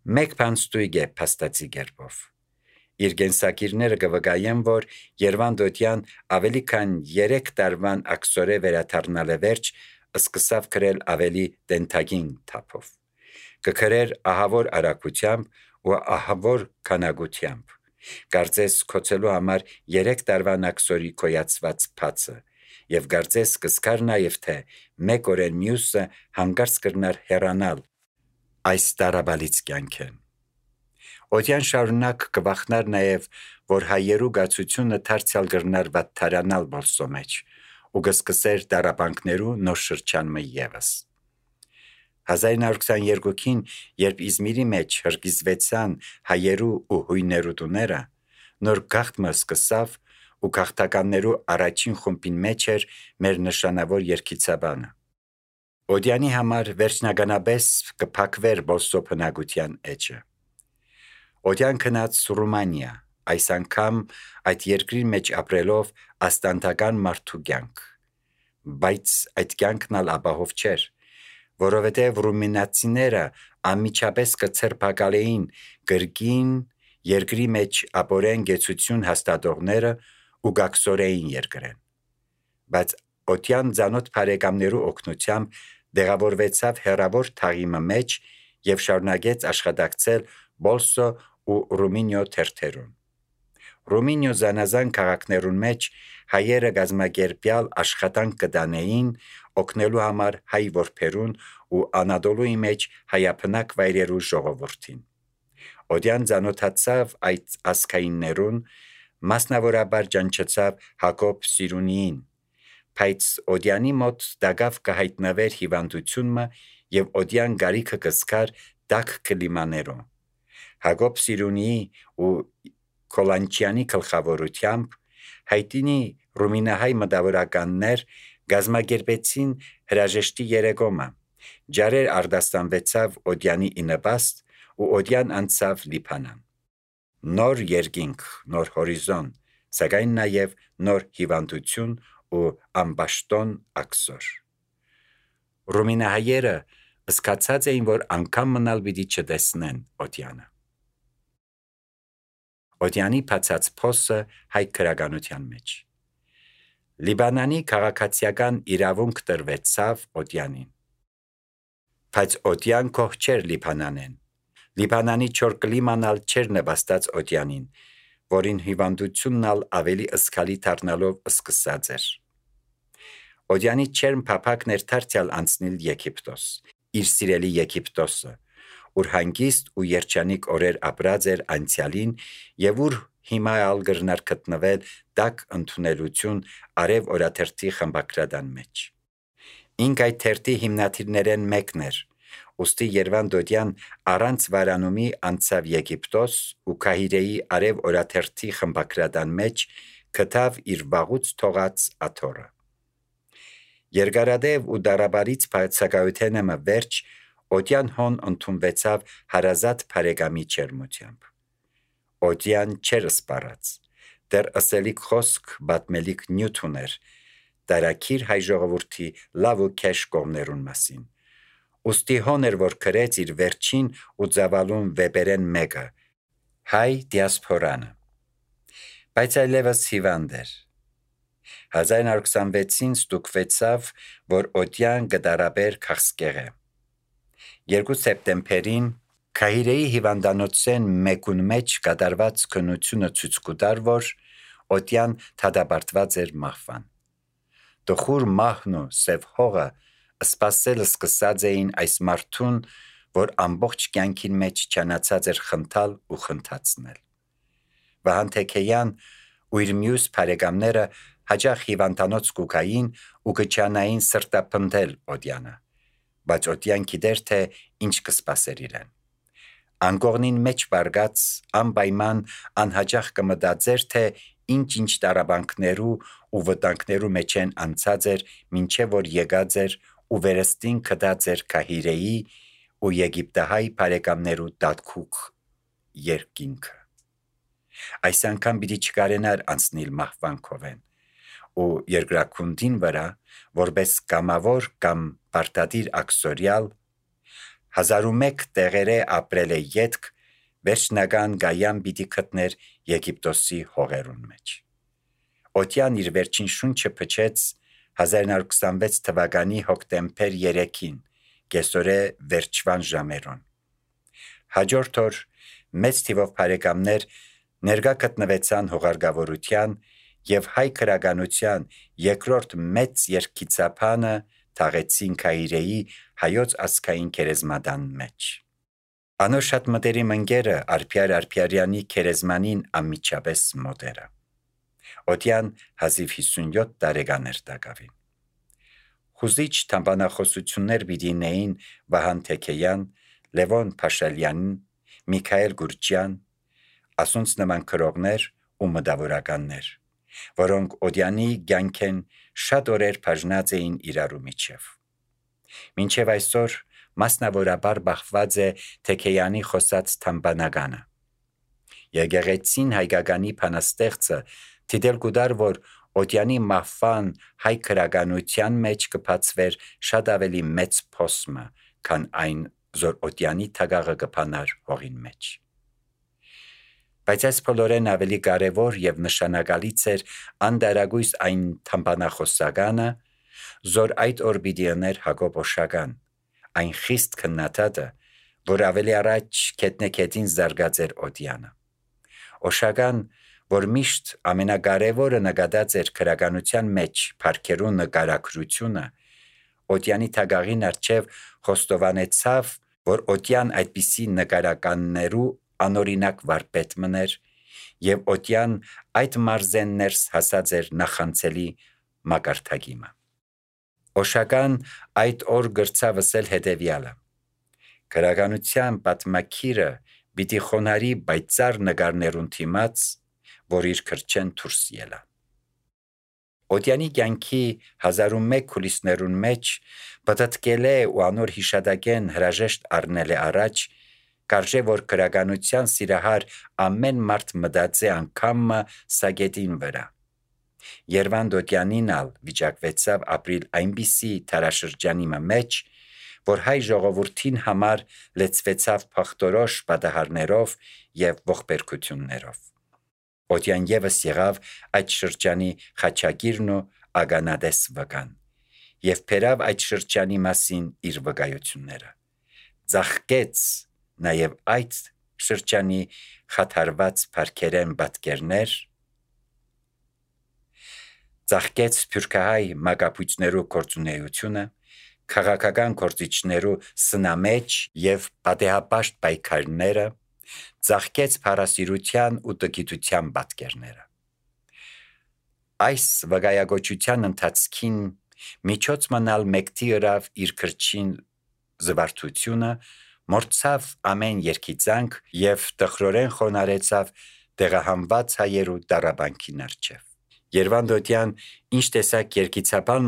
Մեկ բան ստույգ է փաստացի գերբով։ Իր գենսակիրները կվկայեն, որ Երվանդոտյան ավելի քան 3 տարվան ակսորե վերաթարնալ է վերջ, սկսավ գրել ավելի դենթագին թափով։ Կգրեր ահավոր արագությամբ ու ահավոր քանակությամբ։ Կարծես կոչելու համար 3 տարվան ակսորի կոյացված փածը, եւ կարծես կսկար նաեւ թե մեկ օրեն մյուսը հանգարց կրնար հեռանալ այս տարաբալից կյանքը։ Օդյան շարունակ կվախնար նաև, որ հայերու գացությունը դարձյալ կրնար վատթարանալ բոլսո մեջ ու կսկսեր դարաբանքներու նոր շրջանը ևս։ 1922-ին, երբ Իզմիրի մեջ հրկիզվեցան հայերու ու հույներու տուները, նոր գաղթը սկսավ ու գաղթականներու առաջին խումբին մեջ էր մեր նշանավոր երգիծաբանը։ Օդյանի համար վերջնականապես կփակվեր բոլսո բնակության էջը։ Օդյան գնաց Ռումանիա, այս անգամ այդ երկրի մեջ ապրելով աստանտական մարդու կյանք, բայց այդ կյանքն ալ ապահով չէր, որովհետև ռումինացիները անմիջապես կցրփակալեին գրգին երկրի մեջ ապորեն գեցություն հաստատողները ու գաքսորեին երկրեն։ Բայց օդյան ցանոթ բարեկամներու օգնությամբ դեղավորվեցավ հերավոր թաղիմը մեջ եւ շարունակեց աշխատակցել Բոլսո ու Ռումինիո թերթերուն։ Ռումինիո զանազան քաղաքներուն մեջ հայերը գազམ་ակերպյալ աշխատանք կդանեին օգնելու համար հայ որբերուն ու Անադոլուի մեջ հայապնակ վայրերու ժողովրդին։ Օդյան ցանոթացավ այդ ասկայիններուն, մասնավորաբար ճանչեցավ Հակոբ Սիրունիին, բայց Օդյանի մոտ դակավ կհայտնվեր հիվանդությունը եւ Օդյան գարիքը կսկար տաք կլիմաներով։ Հակոբ Սիրունիի ու Կոլանչյանի գլխավորությամբ հայտնի ռումինահայ մտավորականներ գազམ་ակերպեցին հրաժեշտի երեկոմը, ջարեր արդաստանվեցավ Օդյանի ինպաստ ու Օդյան անցավ Լիբանան։ Նոր երկինք, նոր հորիզոն, սակայն նաև նոր հիվանդություն ու ամբաշտոն ակսոր։ Ռումինահայերը սկացած էին, որ անգամ մնալ պիտի չտեսնեն Օդյանը։ Օդյանի բացած փոսը հայ քրագանության մեջ։ Լիբանանի քաղաքացիական իրավունք տրվեցավ Օդյանին։ Բայց Օդյան կող չէր Լիբանանեն։ Լիբանանի չոր կլիմանալ չէր նպաստած Օդյանին, որին հիվանդությունն ալ ավելի ըսկալի դառնալով սկսած էր։ Օդյանի չերմ փափակն էր դարձյալ անցնել Եգիպտոս, իր սիրելի Եգիպտոսը, ուր հանգիստ ու երջանիկ օրեր ապրած էր անցյալին եւ ուր հիմա ալ գրնար գտնվել տաք ընդունելություն արև օրաթերթի խմբակրադան մեջ։ Ինք այդ թերթի հիմնադիրներեն մեկն էր, ուստի Երվանդոտյան առանց վարանումի անցավ Եգիպտոս ու Կահիրեի արև օրաթերթի խմբակրադան մեջ գտավ իր վաղուց թողած աթոռը։ Երկարադեպ ու դարաբարից բացակայութենը վերջ Օդյան հոն ընդունվեցավ հարազատ բարեկամի չերմությամբ։ Օդյան չեր սպառած, դեռ ըսելիք խոսք բատմելիք նյութ ուներ, տարակիր հայ ժողովրդի լավ ու քեշ կողմներուն մասին։ Ուստի հոն էր, որ գրեց իր վերջին ու ծավալուն վեպերեն մեկը, հայ դիասպորանը։ Բայց այլևս հիվանդ էր։ 1926-ին ստուգվեցավ, որ Օդյան գդարաբեր քաղցկեղ է։ 2 սեպտեմբերին Կահիրեի հիվանդանոցեն մեկուն մեջ կատարված քննությունը ցույց կտար, որ Օդյան դատապարտված էր մահվան։ Տխուր մահն ու սև հողը սպասել սկսած էին այս մարդուն, որ ամբողջ կյանքին մեջ չանացած էր խնդալ ու խնդացնել։ Վահան Թեքեյան ու իր մյուս բարեկամները հաճախ հիվանդանոց կուկային ու կչանային սրտապնդել Օդյանը, բայց Օդյան գիտեր, թե ինչ կսպասեր իրեն։ Անկողնին մեջ բարգած անպայման անհաճախ կմտածեր, թե ինչ տարաբանքներու ու վտանգներու մեջ են անցած էր, մինչև որ եկած էր ու վերստին գտած էր Կահիրեի ու Եգիպտահայ բարեկամներու տատկուկ երկինքը։ Այս անգամ պիտի չկարենար անցնել մահվան քովեն ու երկրակունդին վրա, որպես կամավոր կամ պարտադիր ակսորյալ, 1001 տեղերը ապրել է ետք, վերջնական գայան պիտի գտներ Եգիպտոսի հողերուն մեջ։ Օտյան իր վերջին շունչը փչեց 1926 թվականի հոկտեմբեր 3-ին, կեսօրե վերջվան ժամերուն։ Հաջորդ օր մեծ թիվով բարեկամներ ներկա գտնվեցան հողարգավորության եւ հայ քրագանության երկրորդ մեծ երկիծապանը թաղեցին Քայրեի հայոց ազգային քերեզմադան մեջ։ Անոր շատ մտերիմ ընկերը Արփիար Արփիարյանի քերեզմանին անմիջապես մոտերը։ Օտյան 57 տարեկաներ տակավին։ Խուզիչ թամբանախոսություններ բիդինեին Վահան Թեքեյան, Լևոն Փաշալյանին, Միքայել Գուրջյան, ասոնց նման քրողներ ու մտավորականներ, որոնք Օդյանի կյանքեն շատ օրեր բաժնած էին իրարու միջև։ Մինչև այսօր մասնավորաբար բախված է Թեքեյանի խոսած թամբանականը։ Եկեղեցին հայկականի բանաստեղծը դիտել կուտար, որ Օդյանի մահվան հայ քրագանության մեջ կբացվեր շատ ավելի մեծ փոսմը, քան այն զոր Օդյանի թագաղը կփանար հողին մեջ։ Բայց այս բոլորեն ավելի կարևոր եւ նշանակալից էր անդարագույս այն թամբանախոսականը, զոր այդ օր պիտի ուներ Հակոբ Օշական, այն խիստ քննադատը, որ ավելի առաջ կետնեկետին զարգած էր Օդյանը։ Օշական, որ միշտ ամենակարևորը նկատած էր քրագանության մեջ փառքերու նկարագրությունը, Օդյանի թագաղին առջև խոստովանեցավ, որ Օդյան այդպիսի նկարականներու անօրինակ վարպետ մներ եւ Օդյան այդ մարզեն ներս հասած էր նախանցելի մակարդակիմը։ Օշական այդ օր գրծավ ասել հետևյալը. քրագանության պատմակիրը պիտի խոնարի բայցար նկարներուն թիմաց, որ իր քրչեն դուրս ելա։ Օդյանի կյանքի 1001 քուլիսներուն մեջ պատտկել է ու անոր հիշադակեն հրաժեշտ առնել է առաջ, կարժե որ քրագանության սիրահար ամեն մարդ մտածե անգամը սագետին վրա։ Երվանդ Օդյանին ալ վիճակվեցավ ապրիլ այնպիսի թարաշրջանի մեջ, որ հայ ժողովրդին համար լեցվեցավ փախտորոշ պատահարներով եւ ողբերգություններով։ Օդյան եւս եղավ այդ շրջանի խաչագիրն ու ագանադես վկան եւ բերավ այդ շրջանի մասին իր վկայությունները։ Ձախկեց նաեւ այդ շրջանի խաթարված փառքերեն պատկերներ, ձախկեց սփյուռքահայ մագապույցներու գործունեությունը, քաղաքական գործիչներու սնամեջ եւ պատեհապաշտ պայքարները, ձախկեց փառասիրության ու տգիտության պատկերները։ Այս վկայագոչության ընթացքին միջոց մնալ մեկտի ըրավ իր քրչին զվարթությունը, մորցավ ամեն երկիծանք եւ տխրորեն խոնարեցավ տեղահանված հայերու դարաբանքին առջև։ Երվանդ Օդյան ինչ տեսակ երկիծաբան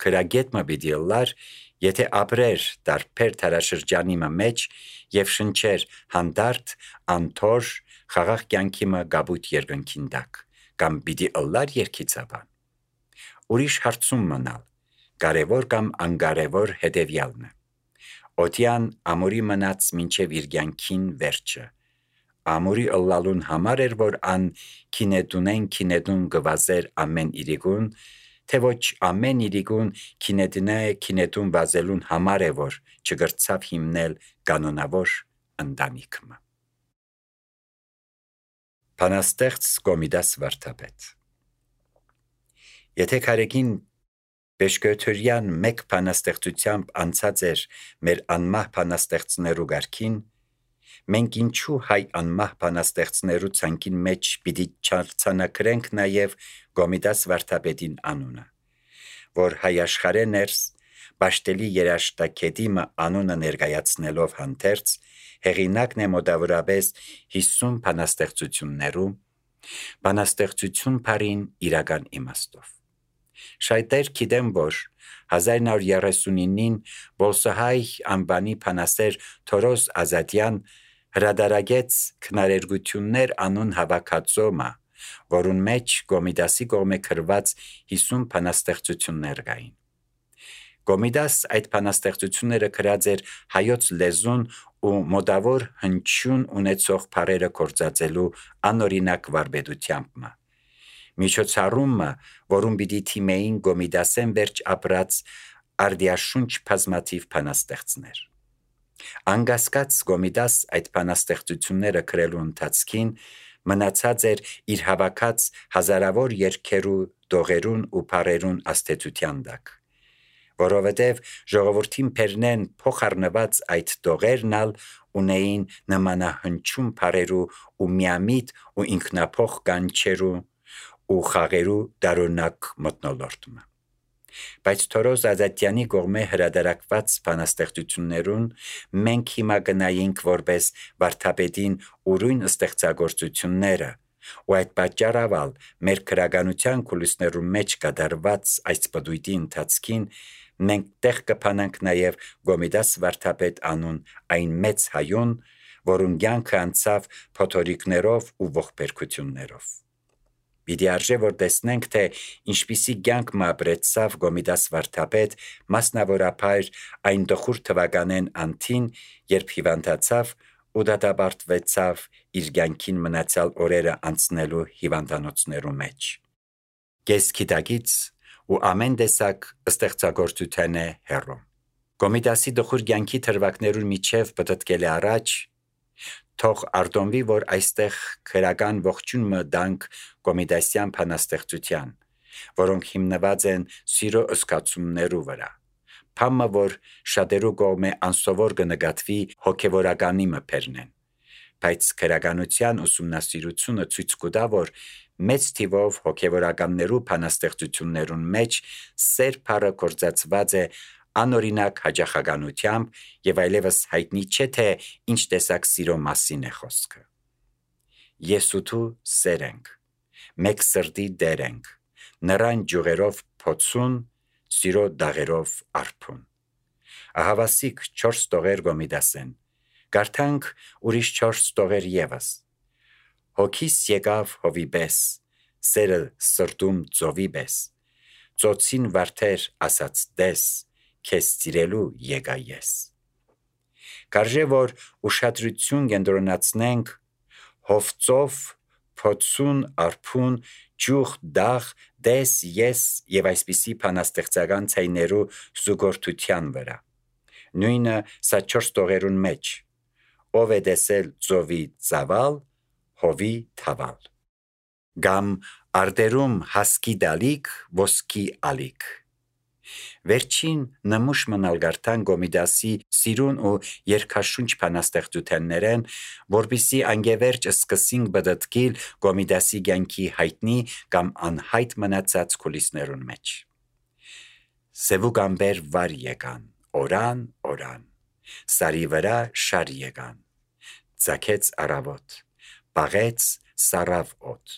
քրագետ պիտի լար, եթե ապրեր դարբեր թարաշրջանի մեջ եւ շնչեր հանդարտ, անթոր, խաղաղ կյանքի գաբույտ երկնքին տակ, կամ պիտի լար երկիծաբան։ Ուրիշ հարցում մնալ, կարևոր կամ անկարևոր հետևյալն է։ Օդյան ամորի մնաց մինչև իր կյանքին վերջը։ Ամորի ըլլալուն համար էր, որ ան քինետուն գվազեր ամեն իրիկուն, թե ոչ ամեն իրիկուն քինետուն վազելուն համար է, որ չգրծավ հիմնել կանոնավոր ընտանիքը։ Բանաստեղծ Կոմիդաս վարդապետ։ Եթե քարեկին Բեշկոթորյան մեկ բանաստեղծությամբ անցած էր մեր անմահ բանաստեղծներու գարքին, մենք ինչու հայ անմահ բանաստեղծներու ցանկին մեջ պիտի չարցանակրենք նաև Կոմիդաս վարդապետին անունը, որ հայ աշխարհե ներս Բաշտելի երաշտակետիմը անունը ներկայացնելով հանդերձ հեղինակն է մոտավորապես 50 բանաստեղծություններու, բանաստեղծություն բարին իրական իմաստով։ Շայտեր գիտեմ, որ 1939-ին Բոլսահայ անբանի բանաստեր Թորոս Ազատյան հրադարագեց քնարերգություններ անուն հավաքածոմը, որուն մեջ Կոմիդասի կողմէ գրված 50 բանաստեղծություններ կային։ Գոմիդաս այդ բանաստեղծությունները գրած էր հայոց լեզուն ու մոդավոր հնչյուն ունեցող բառերը կործածելու անօրինակ վարպետությամբ։ Միջոցառումը, որում պիտի թիմեին Գոմիդասեն վերջ ապրած արդիաշունչ բազմաթիվ բանաստեղծներ։ Անկասկած Գոմիդաս այդ բանաստեղծությունները գրելու ընթացքին մնացած էր իր հավաքած հազարավոր երգերու, դողերուն ու բառերուն աստեցության տակ, որովհետև ժողովրդին բերնեն փոխառնված այդ դողերն ալ ունեին նմանահնչում բառերու ու միամիտ ու ինքնափոխ կանչերու ու խաղերու դարօրինակ մթնոլորտը։ Բայց Թորոզ Ազատյանի կողմէ հրատարակված բանաստեղծություններուն մենք հիմա գնայինք որպես վարդապետին ուրույն ստեղծագործությունները, ու այդ պատճառով մեր քրագանության կուլիսներու մեջ կատարված այս պտույտի ընթացքին մենք տեղ կփանանք նաև Գոմիդաս վարդապետ անուն այն մեծ հայուն, որուն կյանքը անցավ փոթորիկներով ու ողբերգություններով։ Պիտի արժե որ տեսնենք, թե ինչպիսի կյանք ապրեցավ Գոմիդաս վարդապետ, մասնավորապես այն տխուր թվականեն անթին, երբ հիվանդացավ ու դատապարտվեցավ իր կյանքին մնացյալ օրերը անցնելու հիվանդանոցներու մեջ։ Կեսգիտակից ու ամեն տեսակ ստեղծագործության է հեռու։ Գոմիդասի տխուր կյանքի թրվակներուն միջև պտտկել է առաջ, թող արտոնվի, որ այստեղ քրական ողջունը դանք Գոմիդասյան բանաստեղծության, որոնք հիմնված են սիրո զգացումներու վրա, բամը, որ շատերու կողմէ անսովոր կնկատվի հոգևորականի մբերնեն, բայց քրականության ուսումնասիրությունը ցույց կտա, որ մեծ թիվով հոգևորականներու բանաստեղծություններուն մեջ սեր բառը կործածված է անօրինակ հաճախականությամբ եւ այլևս հայտնի չէ, թե ինչ տեսակ սիրո մասին է խոսքը։ Ես ու դու սեր ենք, մեկ սրտի դեր ենք, նրան ջուղերով փոցուն, սիրո դաղերով արփուն։ Ահավասիկ 4 տողեր Գոմիդասեն, գարթանք ուրիշ 4 տողեր եւս։ Հոգիս եկավ հովի պես, սերը սրտում ծովի պես, ծոցին վարդեր ասաց դես, քեզ սիրելու եկա ես։ Կարժե որ ուշադրություն կենտրոնացնենք հովծով, փոցուն, արփուն, ջուղ, դաղ, դես, ես եւ այսպիսի բանաստեղծական ցայներու զուգորդության վրա։ Նույնը սա 4 տողերուն մեջ, ով է տեսել ծովի ծավալ, հովի թավալ։ Գամ արտերում հասկի դալիք, ոսկի ալիք։ Վերջին նմուշ մնալ գարտան Գոմիդասի սիրուն ու երկաշունչ բանաստեղծություններեն, որպիսի անգևերջ սկսինք բդտկիլ Գոմիդասի կյանքի հայտնի կամ անհայտ մնացած կուլիսներուն մեջ։ Սևուկ ամբեր վար եկան, օրան, սարի վրա շար եկան, ծագեց առավոտ, բաղեց սարավ օդ,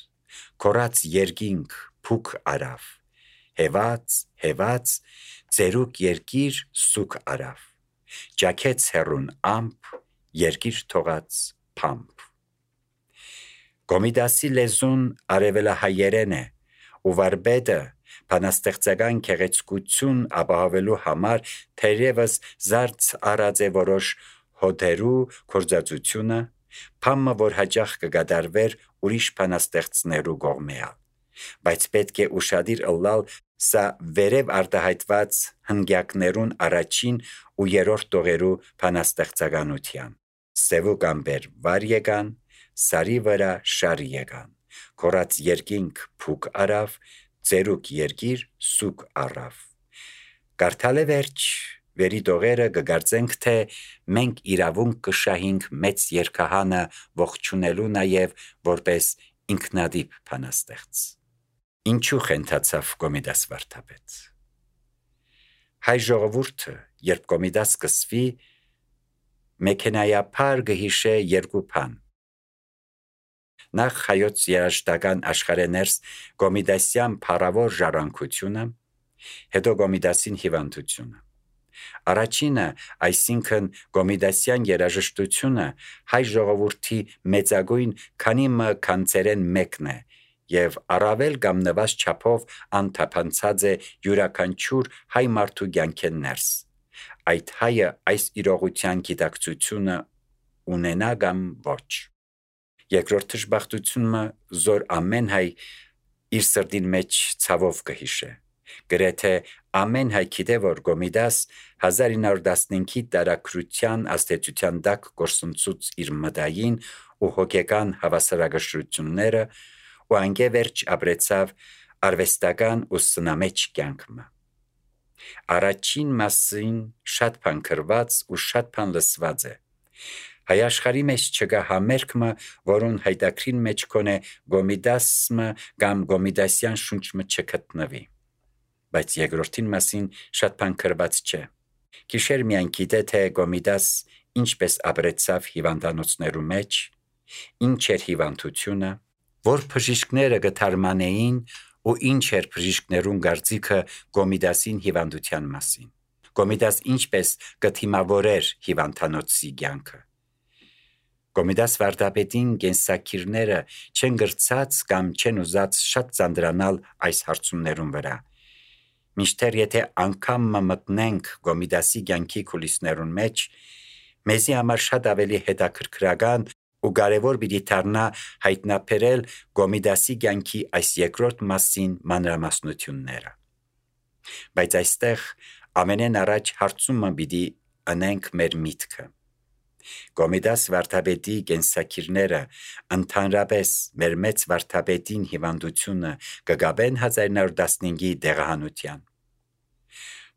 քորած երկինք փուք արավ, հեված, ծերուկ երկիր սուք արավ, ճաքեց հեռուն ամպ, երկիր թողած փամփ։ Գոմիդասի լեզուն արևելահայերեն է, ու վարպետը բանաստեղծական գեղեցկություն ապահովելու համար թերևս զարծ առած է որոշ հոդերու կործածությունը, փամը, որ հաճախ կգադարվեր ուրիշ բանաստեղծներու կողմեալ, բայց պետք է ուշադիր ըլլալ սա վերև արտահայտված հնգյակներուն առաջին ու երրորդ տողերու բանաստեղծականության։ Սևուկ ամբեր վար եկան, սարի վրա շար եկան, քորած երկինք փուք արավ, ծերուկ երկիր սուք առավ։ Կարդալ է վերջ, վերի տողերը կգարձենք, թե մենք իրավունք կշահինք մեծ երկհանը ողջունելու նաև որպես ինքնադիպ բանաստեղծ։ Ինչու խենթացավ Գոմիդաս վարդապետ։ Հայ ժողովուրդը, երբ Գոմիդաս սկսվի, մեքենայապար կհիշե երկու բան։ Նախ հայոց երաժշտական աշխարհեներս Գոմիդասյան փառավոր ժառանգությունը, հետո Գոմիդասին հիվանդությունը։ Առաջինը, այսինքն Գոմիդասյան երաժշտությունը հայ ժողովրդի մեծագույն քանի մը քանցերեն մեկն է եւ առավել կամ նվազ չափով անթափանցած է յուրաքանչյուր հայ մարդու կյանքեն ներս։ Այդ հայը այս իրողության գիտակցությունը ունենա կամ ոչ։ Երկրորդ դժբախտությունը զոր ամեն հայ իր սրտին մեջ ցավով կհիշե։ Գրեթե ամեն հայ գիտե, որ Կոմիդաս 1915-ի տարակրության աստեցության տակ գործընծուց իր մտային ու հոգեկան հավասարակշռությունները ու անգևերջ ապրեցավ արվեստական ու սնամեջ կյանքը։ Առաջին մասին շատ բան գրված ու շատ բան լսված է։ Հայ աշխարհի մեջ չկա համերգը, որուն հայտակրին մեջ կոնե Կոմիդասը կամ Կոմիդասյան շունչը չգտնվի։ Բայց երկրորդին մասին շատ բան գրված չէ։ Գիշեր միայն գիտե, թե Կոմիդաս ինչպես ապրեցավ հիվանդանոցներու մեջ, ինչ էր հիվանդությունը, որ բժիշկները գթարմանեին ու ինչ էր բժիշկներուն կարծիքը Կոմիդասին հիվանդության մասին։ Կոմիդաս ինչպես կթիմավորեր հիվանդանոցի կյանքը։ Կոմիդաս վարդապետին կենսակիրները չեն գրծած կամ չեն ուզած շատ ծանրանալ այս հարցումներուն վրա։ Միշտեր եթե անգամ մտնենք Կոմիդասի կյանքի կուլիսներուն մեջ, մեզի համար շատ ավելի հետաքրքրական ու կարևոր պիտի դառնա հայտնաբերել Կոմիդասի կյանքի այս երկրորդ մասին մանրամասնությունները։ Բայց այստեղ ամենեն առաջ հարցումը պիտի անենք մեր միտքը։ Կոմիդաս վարդապետի կենսակիրները ընդհանրապես մեր մեծ վարդապետին հիվանդությունը կգաբեն 1915-ի դեղահանության։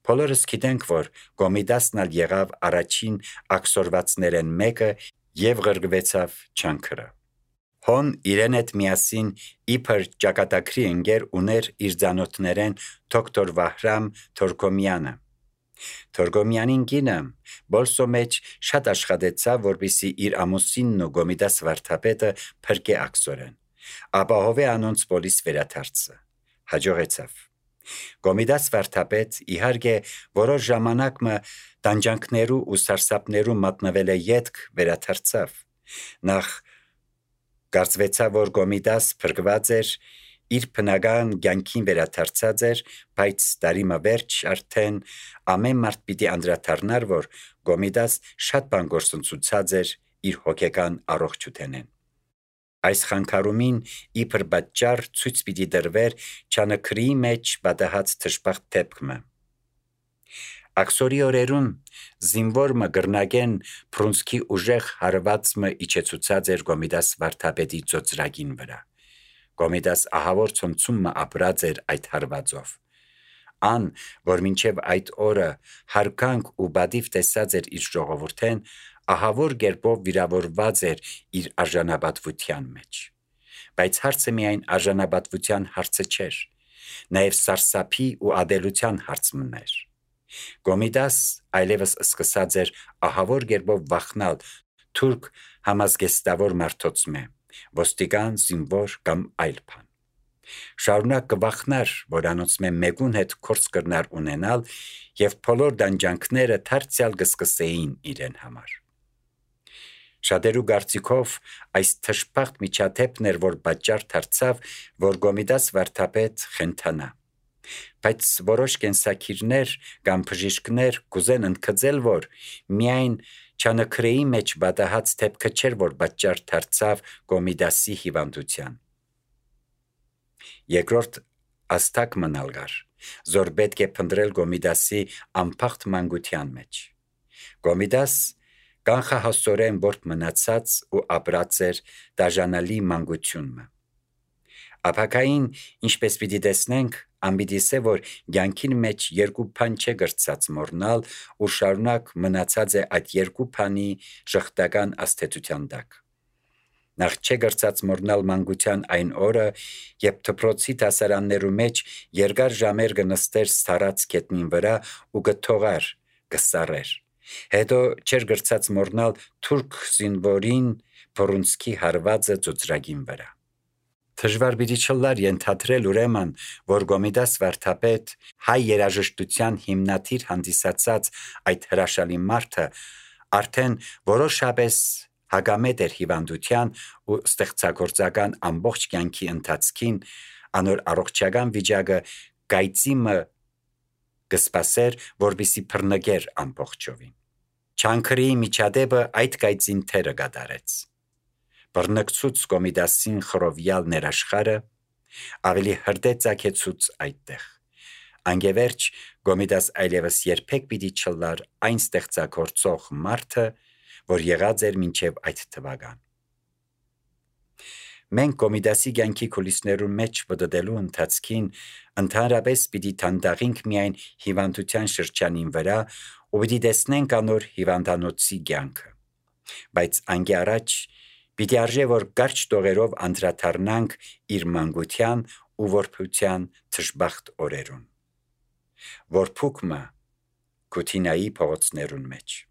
Բոլորս գիտենք, որ Կոմիդասն ալ եղավ առաջին աքսորվածներեն մեկը եւ ղրգվեցավ չանքրը։ Հոն իրեն հետ միասին իբր ճակատագրի ընկեր ուներ իր ծանոթներեն դոկտոր Վահրամ Թորգոմյանը։ Թորգոմյանին կինը բոլսո մեջ շատ աշխատեցավ, որպեսզի իր ամուսինն ու Կոմիդաս վարդապետը փրկե աքսորեն, ապահովե անոնց պոլիս վերադարձը։ Հաջողեցավ։ Կոմիդաս վարդապետ իհարկե որոշ ժամանակ տանջանքներու ու սարսափներու մատնվել է ետք վերադարձավ։ Նախ կարծվեցավ, որ Կոմիդաս փրկված էր, իր բնական կյանքին վերադարձած էր, բայց տարի վերջ արդեն ամեն մարդ պիտի անդրադառնար, որ Կոմիդաս շատ բան գործընծուցած էր իր հոգեկան առողջութենեն։ Այս խանգարումին իբր պատճառ ցույց պիտի դրվեր չանքրի մեջ պատահած դժբախտ դեպքը։ Աքսորի օրերուն զինվորը գրնագեն Փրունսկի ուժեղ հարվածը իջեցուցած էր Կոմիդաս վարդապետի ծոծրագին վրա։ Կոմիդաս ահավոր ցնցումը ապրած էր այդ հարվածով։ Ան, որ մինչև այդ օրը հարկանք ու բադիվ տեսած էր իր ժողովուրդեն, ահավոր գերբով վիրավորված էր իր արժանապատվության մեջ։ Բայց հարցը միայն արժանապատվության հարցը չէր, նաև սարսափի ու ադելության հարցն էր։ Կոմիդաս այլևս սկսած էր ահավոր գերբով վախնալ թուրք համազգեստավոր մարդոցմե, ոստիկան, զինվոր կամ այլ բան։ Շարունակ կվախնար, որ անոնցմե մեկուն հետ կորց կրնար ունենալ եւ բոլոր դանջանքները դարձյալ կսկսեին իրեն համար։ Շատերու կարծիքով այս թշփախտ միջադեպն էր, որ պատճառ դարձավ, որ Կոմիդաս վարդապետ խենթանա։ Բայց որոշ կենսակիրներ կամ բժիշկներ կուզեն ընդգծել, որ միայն չանքրեի մեջ պատահած դեպքը չէր, որ պատճառ դարձավ Կոմիդասի հիվանդության։ Երկրորդ աստակ մնալ գար, զոր պետք է փնտրել Կոմիդասի անփախտ մանկության մեջ։ Կոմիդաս կանխահասորեն որբ մնացած ու ապրած էր դաժանալի մանկությունը։ Ապակային, ինչպես պիտի տեսնենք, ամբիդիսե, որ կյանքին մեջ երկու բան չէ գրծած մորնալ ու շարունակ մնացած է այդ երկու բանի ժխտական աստեցության տակ։ Նախ չէ գրծած մորնալ մանկության այն օրը, երբ դպրոցի դասարաններու մեջ երկար ժամեր կնստեր սարած գետնին վրա ու կթողար, կսարեր։ Հետո չէր գրծած մորնալ թուրք զինվորին Փրունսկի հարվածը ծոծրագին վրա։ Դժվար պիտի չլար ենթադրել ուրեմն, որ Կոմիդաս վարդապետ հայ երաժշտության հիմնադիր հանդիսացած այդ հրաշալի մարդը արդեն որոշապես հագամետ էր հիվանդության ու ստեղծագործական ամբողջ կյանքի ընթացքին անոր առողջական վիճակը գայծիմը կսպասեր, որպեսզի բռնկեր ամբողջովին։ Չանքրի միջադեպը այդ գայծին թերը կատարեց։ Բռնկցուց Կոմիդասին խռովյալ ներաշխարը ավելի հրդեհ ծագեցուց այդտեղ։ Անգևերջ Կոմիդաս այլևս երբեք պիտի չլար այն ստեղծագործող մարդը, որ եղած էր մինչև այդ թվական։ Մենք Կոմիդասի կյանքի կուլիսներուն մեջ պտտելու ընթացքին ընդհանրապես պիտի թանդաղենք միայն հիվանդության շրջանին վրա ու պիտի տեսնենք անոր հիվանդանոցի կյանքը։ Բայց անգե առաջ պիտի արժե որ կարճ տողերով անդրադառնանք իր մանկության ու որբության թշբախտ օրերուն։ Որբուք մը Կութինայի փողոցներուն մեջ։